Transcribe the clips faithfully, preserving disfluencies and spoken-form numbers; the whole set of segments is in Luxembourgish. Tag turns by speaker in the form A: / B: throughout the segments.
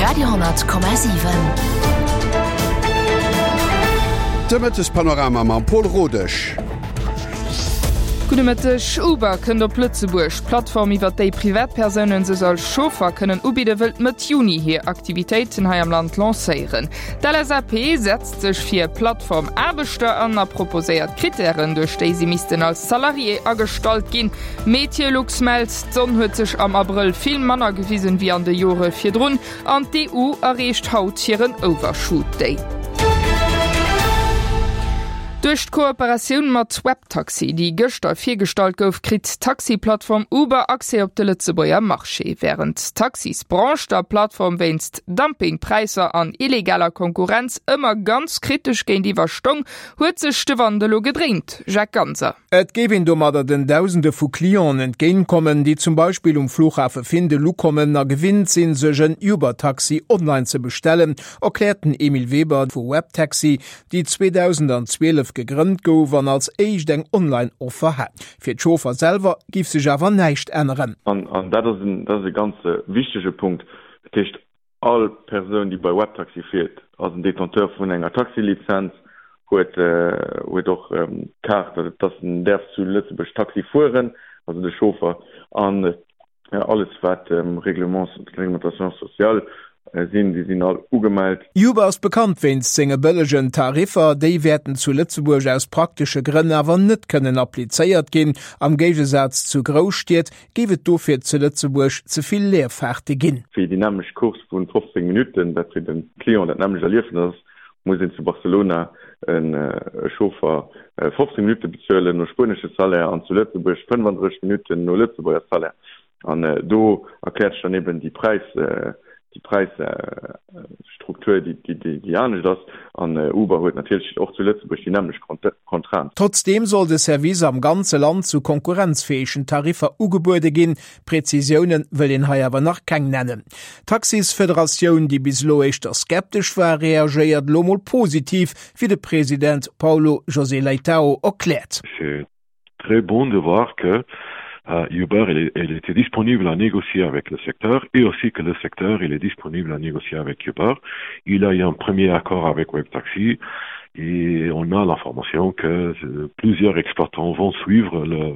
A: Radio honnert Komma siwen.
B: De Mëttespanorama mam Paul Rodesch.
C: Gudde Mëtteg. Uber kënnt op Lëtzebuerg. D'Plattform, iwwer déi Privatpersounen sech als Chauffer kënnen ubidden, wëllt Mëtt Juni hir Aktivitéiten hei am Land lancéieren. D'LSAP setzt sech fir Plattformaarbechter an a proposéiert Krittären, duerch déi si missten als Salarié agestallt ginn. Meteolux mellt, D'Sonn huet sech am Abrëll vill manner gewisen, wéi an de Jore virdrun an d'EU erreecht haut hiren Overshoot Day. Duerch d'Kooperatioun mat Webtaxi, déi gëschter virgestallt gouf, kritt d'Taxi-Plattform Uber Accès op de Lëtzebuerger Marché. Wärend d'Taxisbranche der Plattform wéinst Dumpingpräisser an illegaler Konkurrenz ëmmer ganz kritesch géintiwwer stoung, huet sech de Wand elo gedréint. Jacques Ganser.
D: Et géif een domadder den Dausende vu Clienten entgéintkommen, déi zum Beispill um Flughafe Findel ukommen a gewinnt sinn, sech en Uber-Taxi online ze bestellen, erkläert den Emile Weber vu Webtaxi, déi zweedausendzwielef gegrënnt gouf an als éischt eng Online-Offer hat. Fir d'Chauffer selwer géif sech awer näischt änneren.
E: An dat ass en, dat ass e ganz wichtege Punkt. Dat heescht, all Persoun, déi bei Webtaxi fiert, ass en Détenteur vun enger Taxilizenz, huet, huet och d'Kaart, dass en däerf zu Lëtzebuerg Taxi fueren, also de Chauffer. An alles wat Règlements, Réglementation sociale sinn, déi sinn all ugemellt.
D: Uber ass bekannt wéinst senge bëllegen Tariffer. Déi wäerten zu Lëtzebuerg aus praktesche Grënn awer net kënnen applizéiert ginn. Am Géigesaz zu Grousstied géif et dofir zu Lëtzebuerg ze vill Leerfaarte ginn.
E: Fir déi nämmlecht Course vu fofzéng Minutten, dat fir de Client dat nämmlecht Erliefnes ass, muss een zu Barcelona e Chauffer fofzéng Minutte bezuelen no spuenesche Salaire an zu Lëtzebuerg fënnefandrësseg Minutten no Lëtzebuerger Salaire. An do erkläert sech dann eben déi Präis, déi Präisstruktur, déi, déi, déi anescht ass. An Uber huet natierlech och zu Lëtzebuerg déi nämmlecht Contrainte.
D: Trotzdeem soll de Service am ganze Land zu konkurrenzfäegen Tariffer ugebuede ginn. Prezisioune wëll een hei awer nach keng nennen. D'Taxisfederatioun, déi bis elo éischter skeptesch war, reagéiert elo mol positiv, wéi de President Paulo José Leitao erkläert.
F: C'est très bon de voir que Uber il, il était disponible à négocier avec le secteur et aussi que le secteur il est disponible à négocier avec Uber. Il a eu un premier accord avec Webtaxi et on a l'information que plusieurs exploitants vont suivre le,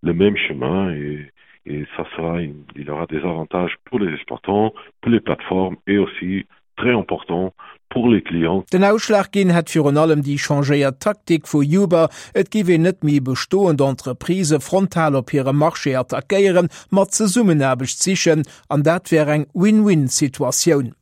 F: le même chemin et, et ça sera, il y aura des avantages pour les exploitants, pour les plateformes et aussi très important pour les clients.
D: Den Ausschlag ginn hätt virun allem déi changéiert Taktik vu Uber, et géif een net méi bestoend Entreprisë frontal op hirem Marché attackéieren, ma Zesummenaarbecht sichen, an dat wär eng Win-Win-Situatioun.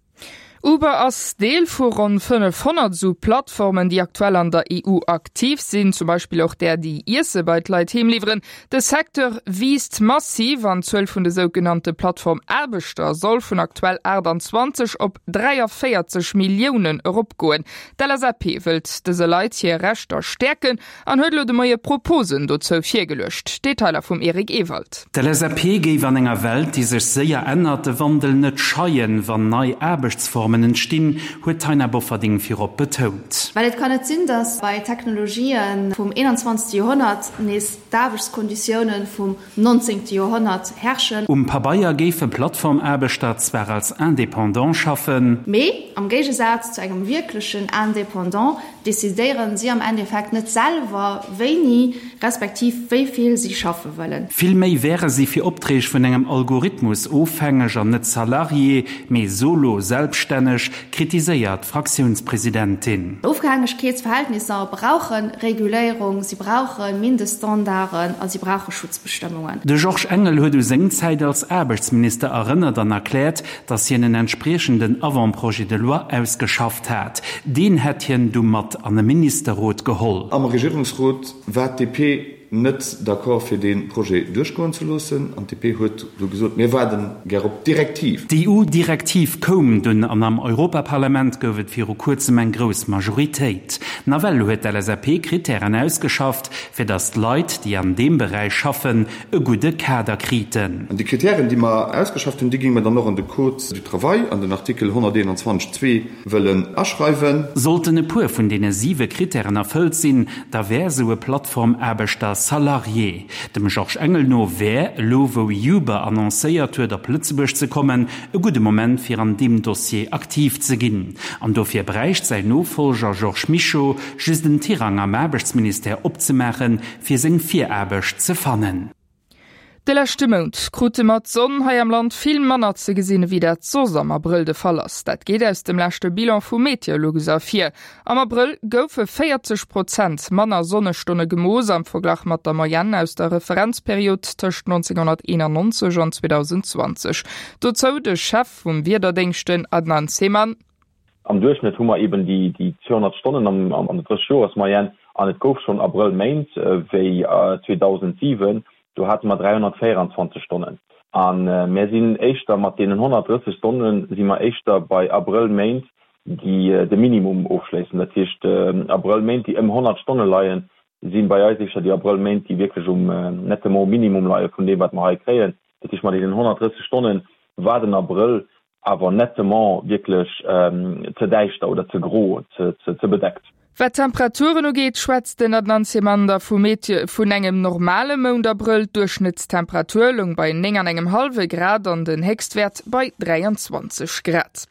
C: Uber ass Deel vu ronn fënnefhonnert esou Plattformen, déi aktuell an der E U aktiv sinn, zum Beispill och där, déi Iesse bei d'Leit heem liwweren. De Secteur wiisst massiv an d'Zuel vun de sougenannte Plattformaarbechter soll vun aktuell aachtanzwanzeg op dräiavéierzeg Milliounen eropgoen. D'L S A P wëllt dëse Leit hir Rechter stäerken an huet elo de Moie Proposen dozou virgeluecht. Detailer vum Eric Ewald.
G: D'L S A P géif an enger Welt, déi sech séier ännert, de Wandel net scheien, wann nei Aarbechtsformen entstinn, huet d'Taina Bofferding virop betount.
H: Well et kann net sinn, datt bei Technologië vum eenanzwanzegste Joerhonnert nees d'Aarbechtskonditioune vum nonzéngte Joerhonnert herrschen.
G: Um Pabeier géife Plattformaarbechter zwar als Indépendant schaffen.
H: Mee am Géigesaz zu engem wierklechen Indépendant decidéieren si am Endeffekt net selwer, wéini respektiv wéi vill si schaffe wëllen.
G: Vill méi wäre si fir Opträg vun engem Algorithmus ofhängeg an net Salarié, mee Solo-Selbststänneg, kritiséiert d'Fraktiounspresidentin.
H: Ofhängegkeetsverhältnisser brauche Reguléierung, si brauche Mindeststandarden a si brauche Schutzbestëmmungen.
G: De Georges Engel huet u seng Zäit als Aarbechtsminister erënnert an erkläert, datt hien en entspriechenden Avant-projet de loi ausgeschafft hat. Deen hätt hien du mat an e Ministerrot geholl.
I: Am Regierungsrot war d'D P net d'accord fir dee Projet duerchgoen ze loossen an d'D P huet du gesot, mir waarden gär op d'Direktiv.
G: D'E U-Direktiv koum dunn an am Europaparlament gouf et viru kuerzem eng grouss Majoritéit. Nawell huet d'L S A P Krittären ausgeschafft, fir datt d'Leit, déi an deem Beräich schaffen, e gudde Kader kriten.
I: An déi Krittären, déi mer ausgeschafft hunn, déi géinge mer dann och an de Code du travail, an den Artikel honnerteenanzwanzeg zwee wëllen aschreiwen.
G: Sollten e puer vun deene siwe Krittären erfëllt sinn, da wär esou e Plattformaarbechter der Salarié. Dem Georges Engel no wär, elo wou Uber annoncéiert huet op Lëtzebuerg ze kommen, e gudde Moment fir an deem Dossier aktiv ze ginn. An dofir bräicht säin Nofollger Georges Mischo just en Tirang am Aarbechtsministère opzemaachen, fir seng Viraarbecht ze fannen.
C: De leschte Mount krute mer d'Sonn hei am Land vill manner ze gesinn, ewéi dat soss am Abrëll de Fall ass. Dat geet aus dem leschte Bilan vu Meteolux ervir. Am Abrëll goufe véierzeg Prozent manner Sonnestonne gemooss am Verglach mat der Moyenne aus der Referenzperiod tëscht nonzénghonnerteenannonzeg an zweedausendzwanzeg. Dozou de Chef vum Wiederdéngscht, den Adnan Seman.
A: Am Duerchschnëtt hu mer eben déi zweehonnert Stonnen an der Drëssegjoersmoyenne an et gouf schonn Abrëllméint wéi zweedausensiwen, do hate mer dräihonnertvéieranzwanzeg Stonnen. A mär sinn éischter mat deenen honnertdrësseg Stonne si mer éischter bei Abrëllméint, déi de Minimum ofschléissen. Dat heescht, Abrëllméint, déi ëm honnert Stonne leien, si bei eis éischter déi Abrëllméint, déi wierklech um nettement Minimum leie vun deem, wat mer hei kréien. Dat heescht, mat deenen honnertdrësseg Stonne war den Abrëll awer nettement wierklech ze däischter oder ze gro, ze bedeckt.
C: Wat d'Temperaturen ugeet, schwätzt den Adnan Semander vu Meteo vun engem normale Mount Abrëll. D'Duerchschnëttstemperatur loung bei néng an engem hallwe Grad an den Héchstwäert bei dräianzwanzeg Grad.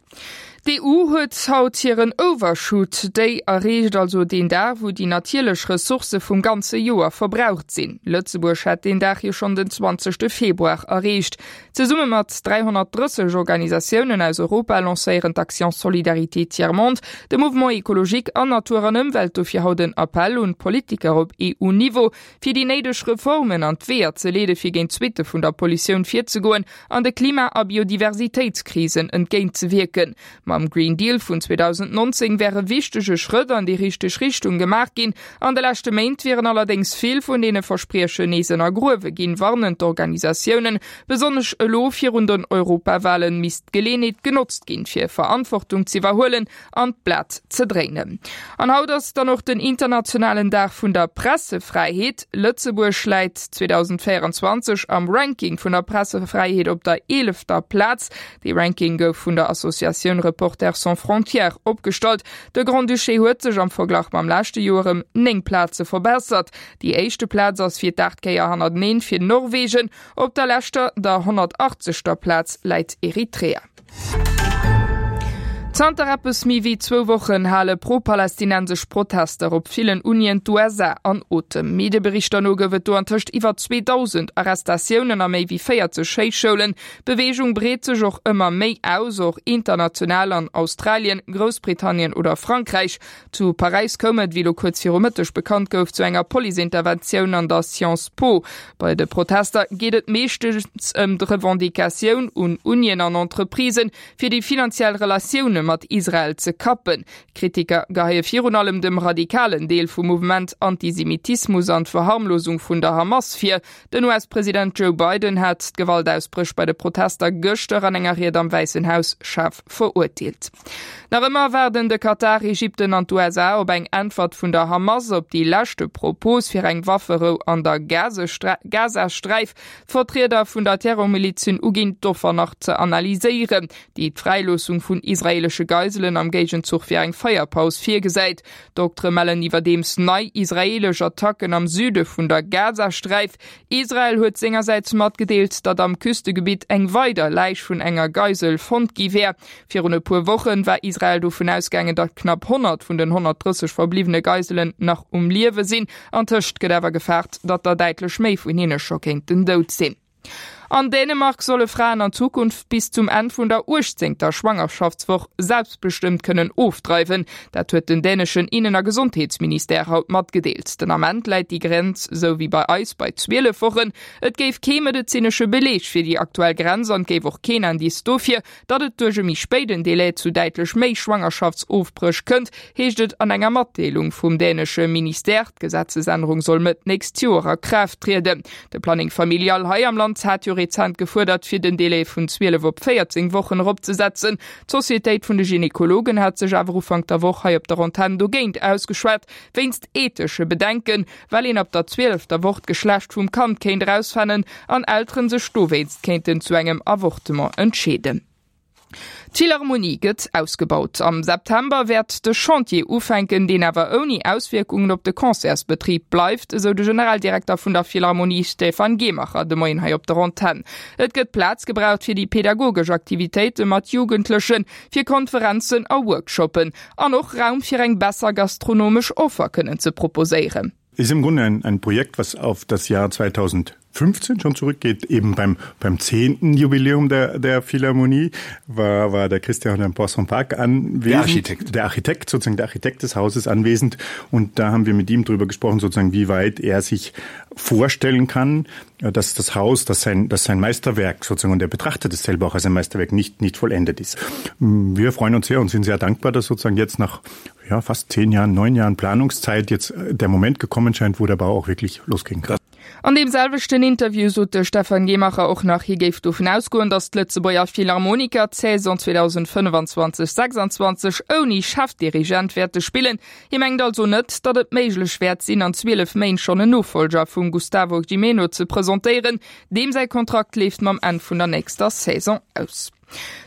C: D'EU huet haut hiren Overshoot Day erreecht, also deen Dag, wou déi natierlech Ressourcë vum ganze Joer verbraucht sinn. Lëtzebuerg hat deen Dag jo schonn den zwanzegste Februar erreecht. Zesumme mat dräihonnertdrësseg Organisatiounen aus Europa lancéieren d'Action Solidarité Tiers Monde, de Mouvement Ecologique an Natur an Ëmwelt dofir haut en Appell un d'Politiker op E U-Niveau, fir déi néideg Reformen an d'Weeër ze leede fir géint d'Suitte vun der Pollutioun virzegoen an de Klima a Biodiversitéitskrisen entgéintzewierken. Mam Green Deal vun zweedausendnonzéng wäre wichtege Schrëtt an déi richteg Richtung gemaach ginn. An de leschte Méint wieren allerdéngs vill vun deene Verspriechen nees ënnergruewe ginn, warnen d'Organisatiounen. Besonnesch elo virun den Europawale misst d'Geleeënheet genotzt ginn, fir Verantwortung z'iwwerhuelen an d'Blat ze dréinen. An haut ass dann och den internationalen Dag vun der Pressefräiheet. Lëtzebuerg läit zweedausendvéieranzwanzeg am Ranking vun der Pressefräiheet op der eelefter Plaz. Dee Ranking gouf vun der Associatioun Reporters sans frontières opgestallt. De Grand-Duché huet sech am Verglach mam leschte Joer ëm néng Plaze verbessert. Déi éischte Plaz ass fir d'aacht Kéier hannerteneen fir Norwegen. Op der leschter, der honnertachtzeger Plaz läit Eritrea. Zanter eppes méi wéi zwou Wochen hale pro-palästinensesch Protester op villen Unien d'U S A an Otem. Medieberichter no gouf et do antëscht iwwer zweedausend Arrestatiounen a méi wéi véierzeg Schéisschoulen. D'Beweegung breet sech och ëmmer méi aus, och international an Australien, Groussbritannien oder Frankräich. Zu Paräis koum et, wéi lo kuerz viru Mëtteg bekannt gouf, zu enger Policeinterventioun an der Sciences Po. Bei de Protester geet et meeschtens ëm d'Revendicatioun un Unien an Entreprisen, fir déi finanziell Relatioune mat Israel ze kappen. Kritiker geheie virun allem dem radikalen Deel vum Mouvement Antisemitismus an d'Verharmlosung vun der Hamas vir. Den U S-President Joe Biden hat d'Gewaltausbréch bei de Protester gëschter an enger Ried am Wäissen Haus schaarf verurteelt. Nach ëmmer waarden de Katar, Ägypten an d'U S A op eng Äntwert vun der Hamas op déi leschte Propos fir eng Wafferou an der Gazasträif. D'Vertrieder vun der Terrormiliz hunn uginn, d'Offer nach ze analyséieren, déi d'Fräiloossung vun israeelesche Geiselen am Géigenzuch fir eng Feierpaus virgesäit. Doktere mellen iwwerdeems nei israeelesch Attacken am Süde vun der Gazasträif. Israel huet sengersäits matgedeelt, datt am Küstegebitt eng weider Läich vun enger Geisel fonnt gi wär. Virun e puer Woche war Israel dovun ausgaangen, datt knapp honnert vun den honnertdrësseg verbliwwene Geiselen nach um Liewe sinn. Antëscht gëtt awer gefaart, datt der däitlech méi vun hinne scho kéinten dout sinn. An Dänemark solle Fraen an Zukunft bis zum Enn vun der uechtzéngter Schwangerschaftswoch selbstbestëmmt kënnen ofdreiwen. Dat huet den däneschen Innen a Gesondheetsministère haut matgedeelt. Den Ament läit déi Grenz, sou wéi bei eis, bei zwielef Wochen. Et géif kee medezinesche Beleg fir déi aktuell Grenz an et géif och keen Indiz dofir, datt et duerch e méi spéiden Delai zu däitlech méi Schwangerschaftsofbréch kënnt, heescht et an enger Matdeelung vum dänesche Ministère. D'Gesetzesännerung soll Mëtt nächst Joer a Kraaft trieden. De Planning Familial hei am Land hat jo rezent gefuerdert, fir den Delai vun zwielef op véierzéng Wochen eropzesetzen. D'Societéit vun de Gynekologen hat sech awer Ufank der Woch hei op der Antenn dogéint ausgeschwat, wéinst ethesche Bedenken, well een ab der zwielefter Woch d'Geschlecht vum Kand kéint erausfannen an Elteren sech dowéinst kéinten zu engem Avortement entscheeden. D'Philharmonie gëtt ausgebaut. Am September wäert de Chantier ufänken, deen awer ouni Auswierkungen op de Concertsbetrib bleift, esou de Generaldirekter vun der Philharmonie Stefan Gehmacher de Moien hei op der Antenn. Et gëtt Plaz gebraucht fir déi pedagogesch Aktivitéite mat Jugendlechen, fir Konferenzen a Workshoppen an och Raum fir eng besser gastronomesch Offer kënnen ze proposéieren.
J: Ist im Grunde ein, ein Projekt, was auf das Jahr zweitausendfünfzehn schon zurückgeht, eben beim, beim zehnten Jubiläum der, der Philharmonie war, war der Christian am Poisson Park anwesend.
I: Der Architekt.
J: Der Architekt, sozusagen der Architekt des Hauses anwesend. Und da haben wir mit ihm darüber gesprochen, sozusagen, wie weit er sich vorstellen kann, dass das Haus, dass sein, dass sein Meisterwerk sozusagen, und er betrachtet es selber auch als ein Meisterwerk, nicht, nicht vollendet ist. Wir freuen uns sehr und sind sehr dankbar, dass sozusagen jetzt nach ja, fast zehn Jahren, neun Jahren Planungszeit jetzt äh, der Moment gekommen scheint, wo der Bau auch wirklich losgehen kann.
C: An deem selwechten Interview sot de Stefan Gehmacher och nach, hie géif dovun ausgoen, datt d'Lëtzebuerger Philharmoniker d'Saison zweedausendfënnefanzwanzeg sechsanzwanzeg ouni Chefdirigent wäerte spillen. Hie mengt also net, datt et méiglech wäert sinn, an zwielef Méint schonn en Nofollger vum Gustavo Gimeno ze presentéieren. Deem säi Kontrakt leeft mam Enn vun der nächster Saison aus.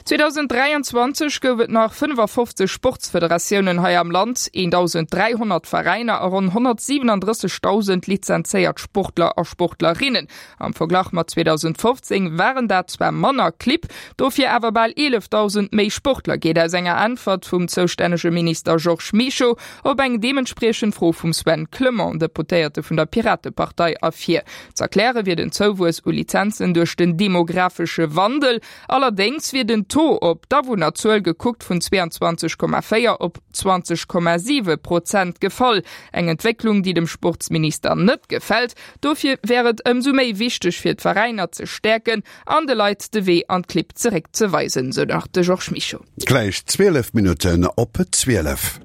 C: zweedausendräianzwanzeg gouf et nach fënnefafofzeg Sportsfederatiounen hei am Land, eentausend dräihonnert Veräiner a ronn honnertsiwenundrëssegdausend lizenzéiert Sportler a Sportlerinnen. Am Verglach mat zweedausendfofzéng waren dat zwar manner Clibb, dofir awer bal eelefdausend méi Sportler, geet aus enger Äntwert vum zoustännege Minister Georges Mischo op eng deementspriechend Fro vum Sven Clement, Deputéierte vun der Piratepartei, ervir. Z'erkläre wier den Zouwuess u Lizenzen duerch den demografesche Wandel. Allerdéngs wier den Taux op d'Awunnerzuel gekuckt vun zweiundzwanzeg Komma véier op zwanzeg Komma siwe Prozent gefall. Eng Entwécklung, déi dem Sportsminister net gefält. Dofir wär et ëmsou méi wichteg fir d'Veräiner ze stäerken an de Leit de Wee an d'Clibb zeréck ze weisen, sou nach de Georges Mischo.
B: Gläich zwielef Minutten op zwielef.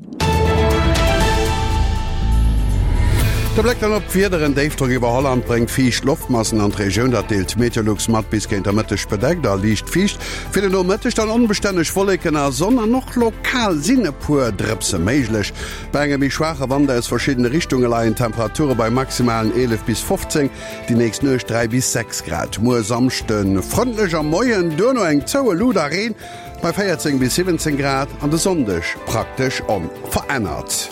B: De Bléck dann op d'Wieder, En Déifdrock iwwer Holland bréngt fiicht Loftmassen an d'Regioun, dat deelt Meteolux mat. Bis géint der Mëtteg bedeckt a liicht fiicht, fir den Nomëtteg dann onbestänneg Wolleken a Sonn an och lokal sinn e puer Drëpse méiglech. Bei engem méi schwaache Wand aus verschiddene Richtunge leien d'Temperature bei maximalen eelef bis fofzéng, déi nächst Nuecht dräi bis sechs Grad. Muer Samschde frëndlech am Moien, duerno eng zoue Lut a Reen bei véierzéng bis siwwenzéng Grad an de Sonndeg praktesch onverännert.